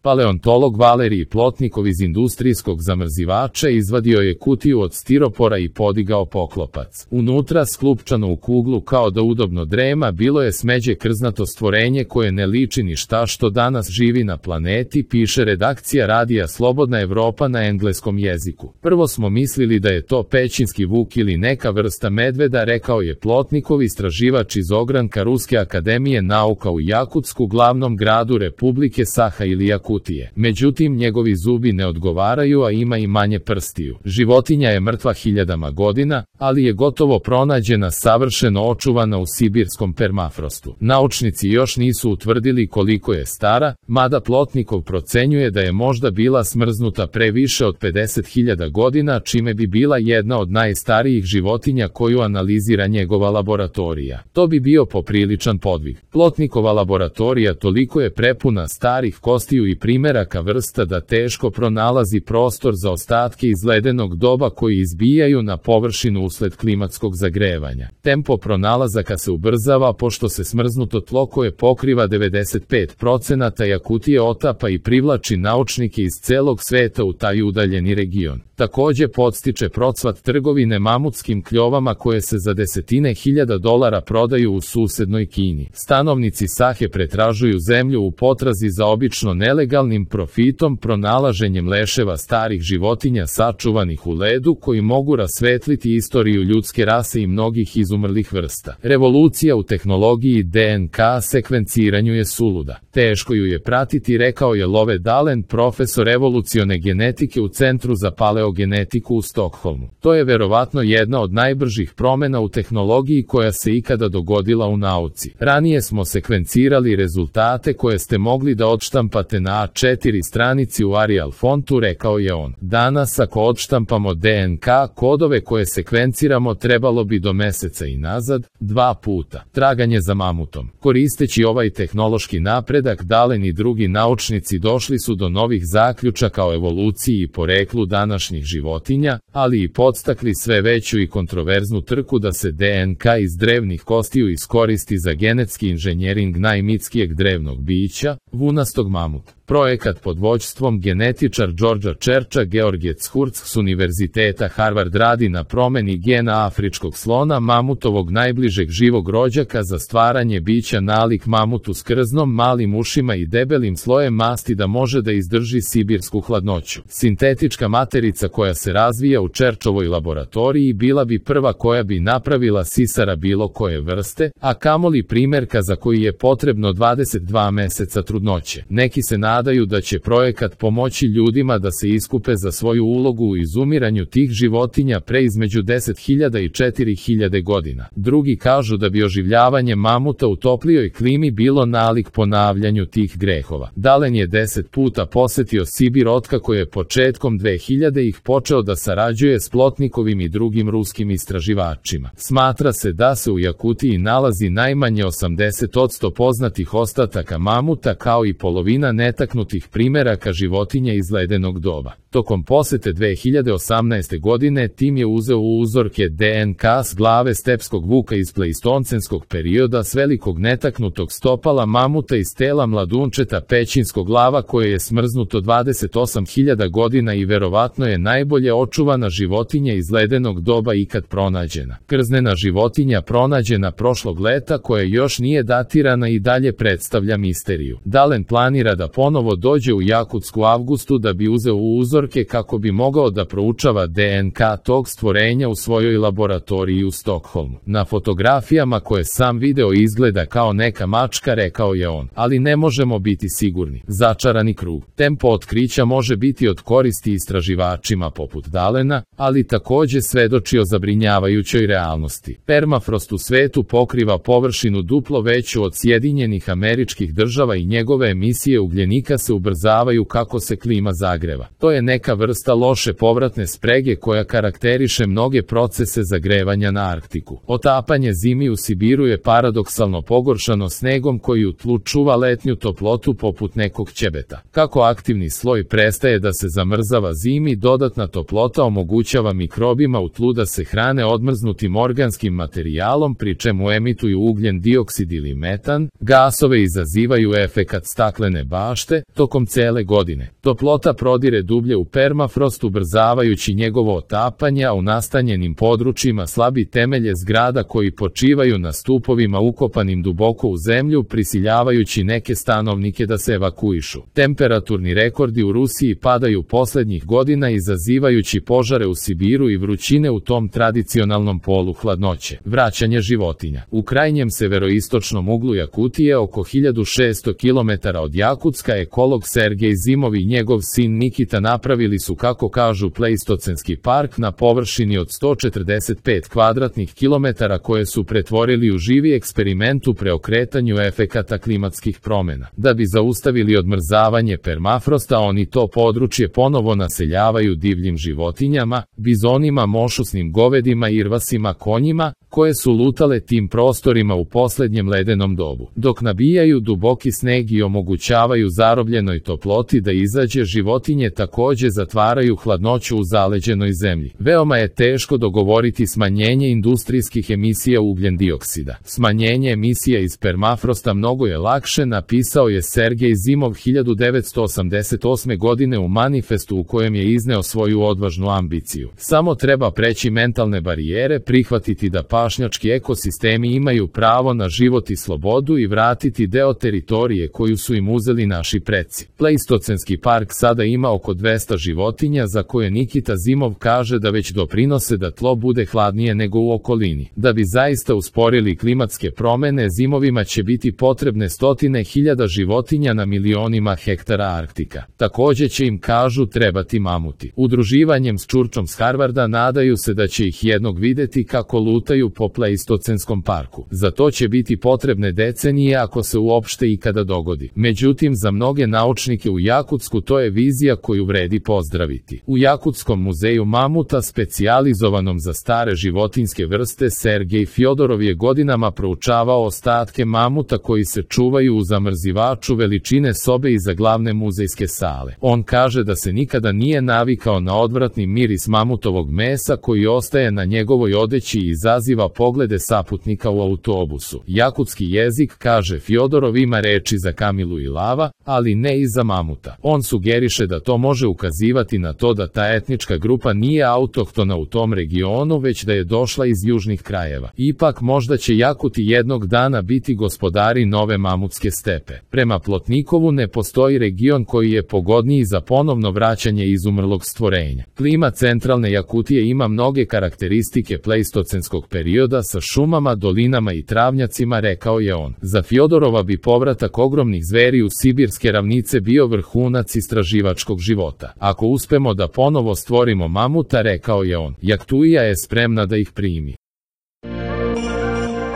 Paleontolog Valerij Plotnikov iz industrijskog zamrzivača izvadio je kutiju od stiropora i podigao poklopac. Unutra, sklupčano u kuglu kao da udobno drema, bilo je smeđe krznato stvorenje koje ne liči ni šta što danas živi na planeti, piše redakcija radija Slobodna Evropa na engleskom jeziku. Prvo smo mislili da je to pećinski vuk ili neka vrsta medveda, rekao je Plotnikov, istraživač iz ogranka Ruske akademije nauka u Jakutsku, glavnom gradu Republike Saha ili Jakutije. Međutim, njegovi zubi ne odgovaraju, a ima i manje prstiju. Životinja je mrtva hiljadama godina, ali je gotovo pronađena savršeno očuvana u sibirskom permafrostu. Naučnici još nisu utvrdili koliko je stara, mada Plotnikov procenjuje da je možda bila smrznuta pre više od 50.000 godina, čime bi bila jedna od najstarijih životinja koju analizira njegova laboratorija. To bi bio popriličan podvig. Plotnikova laboratorija toliko je prepuna starih kostiju i primeraka vrsta da teško pronalazi prostor za ostatke iz ledenog doba koji izbijaju na površinu usled klimatskog zagrevanja. Tempo pronalazaka se ubrzava pošto se smrznuto tlo koje pokriva 95% Jakutije otapa i privlači naučnike iz celog sveta u taj udaljeni region. Takođe podstiče procvat trgovine mamutskim kljovama koje se za desetine hiljada dolara prodaju u susednoj Kini. Stanovnici Sahe pretražuju zemlju u potrazi za obično nelegalnim profitom, pronalaženjem leševa starih životinja sačuvanih u ledu koji mogu rasvetliti istoriju ljudske rase i mnogih izumrlih vrsta. Revolucija u tehnologiji DNK sekvenciranju je suluda. Teško ju je pratiti, rekao je Love Dalen, profesor evolucione genetike u Centru za paleogenetiku u Stokholmu. To je verovatno jedna od najbržih promena u tehnologiji koja se ikada dogodila u nauci. Ranije smo sekvencirali rezultate koje ste mogli da odštampate na A4 stranici u Arial fontu, rekao je on. Danas, ako odštampamo DNK kodove koje sekvenciramo, trebalo bi do meseca i nazad, 2 puta. Traganje za mamutom. Koristeći ovaj tehnološki napredak, Dalen i drugi naučnici došli su do novih zaključaka o evoluciji i poreklu današnjih životinja, ali i podstakli sve veću i kontroverznu trku da se DNK iz drevnih kostiju iskoristi za genetski inženjering najmitskijeg drevnog bića, vunastog mamuta. Projekat pod vođstvom genetičar Georgea Churcha, Georgets Hurts s Univerziteta Harvard radi na promeni gena afričkog slona, mamutovog najbližeg živog rođaka, za stvaranje bića nalik mamutu s krznom, malim ušima i debelim slojem masti da može da izdrži sibirsku hladnoću. Sintetička materica koja se razvija u Churchovoj laboratoriji bila bi prva koja bi napravila sisara bilo koje vrste, a kamoli primerka za koji je potrebno 22 meseca trudnoće. Neki se nadaju da će projekat pomoći ljudima da se iskupe za svoju ulogu u izumiranju tih životinja pre između 10.000 i 4.000 godina. Drugi kažu da bi oživljavanje mamuta u toplijoj klimi bilo nalik ponavljanju tih grehova. Dalen je 10 puta posetio Sibir otkako je početkom 2000-ih počeo da sarađuje s Plotnikovim i drugim ruskim istraživačima. Smatra se da se u Jakutiji nalazi najmanje 80% poznatih ostataka mamuta kao i polovina netaknutih primeraka životinja iz ledenog doba. Tokom posete 2018. godine tim je uzeo uzorke DNK s glave stepskog vuka iz pleistoncenskog perioda s velikog netaknutog stopala mamuta iz tela mladunčeta pećinskog lava koje je smrznuto 28.000 godina i verovatno je najbolje očuvana životinja iz ledenog doba ikad pronađena. Krznena životinja pronađena prošlog leta koja još nije datirana i dalje predstavlja misteriju. Dalen planira da ponovo dođe u Jakutsku u avgustu da bi uzeo uzorke kako bi mogao da proučava DNK tog stvorenja u svojoj laboratoriji u Stokholmu. Na fotografijama koje sam video izgleda kao neka mačka, rekao je on, ali ne možemo biti sigurni. Začarani krug. Tempo otkrića može biti od koristi istraživačima poput Dalena, ali takođe svedoči o zabrinjavajućoj realnosti. Permafrost u svetu pokriva površinu duplo veću od Sjedinjenih Američkih Država i njegove emisije ugljenika se ubrzavaju kako se klima zagreva. To je neka vrsta loše povratne sprege koja karakteriše mnoge procese zagrevanja na Arktiku. Otapanje zimi u Sibiru je paradoksalno pogoršano snegom koji u tlu čuva letnju toplotu poput nekog ćebeta. Kako aktivni sloj prestaje da se zamrzava zimi, dodatna toplota omogućava mikrobima u tlu da se hrane odmrznutim organskim materijalom, pri čemu emituju ugljen dioksid ili metan. Gasove izazivaju efekat staklene bašte tokom cele godine. Toplota prodire dublje u permafrost, ubrzavajući njegovo otapanje, a u nastanjenim područjima slabi temelje zgrada koji počivaju na stupovima ukopanim duboko u zemlju, prisiljavajući neke stanovnike da se evakuišu. Temperaturni rekordi u Rusiji padaju poslednjih godina, izazivajući požare u Sibiru i vrućine u tom tradicionalnom polu hladnoće. Vraćanje životinja. U krajnjem severoistočnom uglu Jakutije, oko 1600 km od Jakutska, ekolog Sergej Zimov i njegov sin Nikita napravili su, kako kažu, pleistocenski park na površini od 145 kvadratnih kilometara koje su pretvorili u živi eksperiment u preokretanju efekata klimatskih promjena. Da bi zaustavili odmrzavanje permafrosta, oni to područje ponovo naseljavaju divljim životinjama, bizonima, mošusnim govedima i irvasima konjima, koje su lutale tim prostorima u poslednjem ledenom dobu. Dok nabijaju duboki sneg i omogućavaju zarobljenoj toploti da izađe, životinje takođe zatvaraju hladnoću u zaleđenoj zemlji. Veoma je teško dogovoriti smanjenje industrijskih emisija ugljen dioksida. Smanjenje emisija iz permafrosta mnogo je lakše, napisao je Sergej Zimov 1988. godine u manifestu u kojem je izneo svoju odvažnu ambiciju. Samo treba preći mentalne barijere, prihvatiti da pašnjački ekosistemi imaju pravo na život i slobodu i vratiti deo teritorije koju su im uzeli naši preci. Pleistocenski park sada ima oko 200 životinja za koje Nikita Zimov kaže da već doprinose da tlo bude hladnije nego u okolini. Da bi zaista usporili klimatske promene, Zimovima će biti potrebne stotine hiljada životinja na milionima hektara Arktika. Takođe će im, kažu, trebati mamuti. Udruživanjem s Čurčom s Harvarda nadaju se da će ih jednog videti kako lutaju po pleistocenskom parku. Za to će biti potrebne decenije, ako se uopšte ikada dogodi. Međutim, za mnoge naučnike u Jakutsku to je vizija koju vredi pozdraviti. U Jakutskom muzeju mamuta, specijalizovanom za stare životinjske vrste, Sergej Fjodorov je godinama proučavao ostatke mamuta koji se čuvaju u zamrzivaču veličine sobe iza glavne muzejske sale. On kaže da se nikada nije navikao na odvratni miris mamutovog mesa koji ostaje na njegovoj odeći i izaziva poglede saputnika u autobusu. Jakutski jezik, kaže Fjodorov, ima reči za kamilu i lava, ali ne i za mamuta. On sugeriše da to može ukazivati na to da ta etnička grupa nije autohtona u tom regionu, već da je došla iz južnih krajeva. Ipak, možda će Jakuti jednog dana biti gospodari nove mamutske stepe. Prema Plotnikovu, ne postoji region koji je pogodniji za ponovno vraćanje izumrlog stvorenja. Klima centralne Jakutije ima mnoge karakteristike pleistocenskog perioda sa šumama, dolinama i travnjacima, rekao je on. Za Fjodorova bi povratak ogromnih zveri u sibirske ravnice bio vrhunac istraživačkog života. Ako uspemo da ponovo stvorimo mamuta, rekao je on, Jakutija je spremna da ih primi.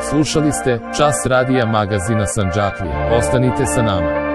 Slušali ste Čas radija magazina Sandžaklija. Ostanite sa nama.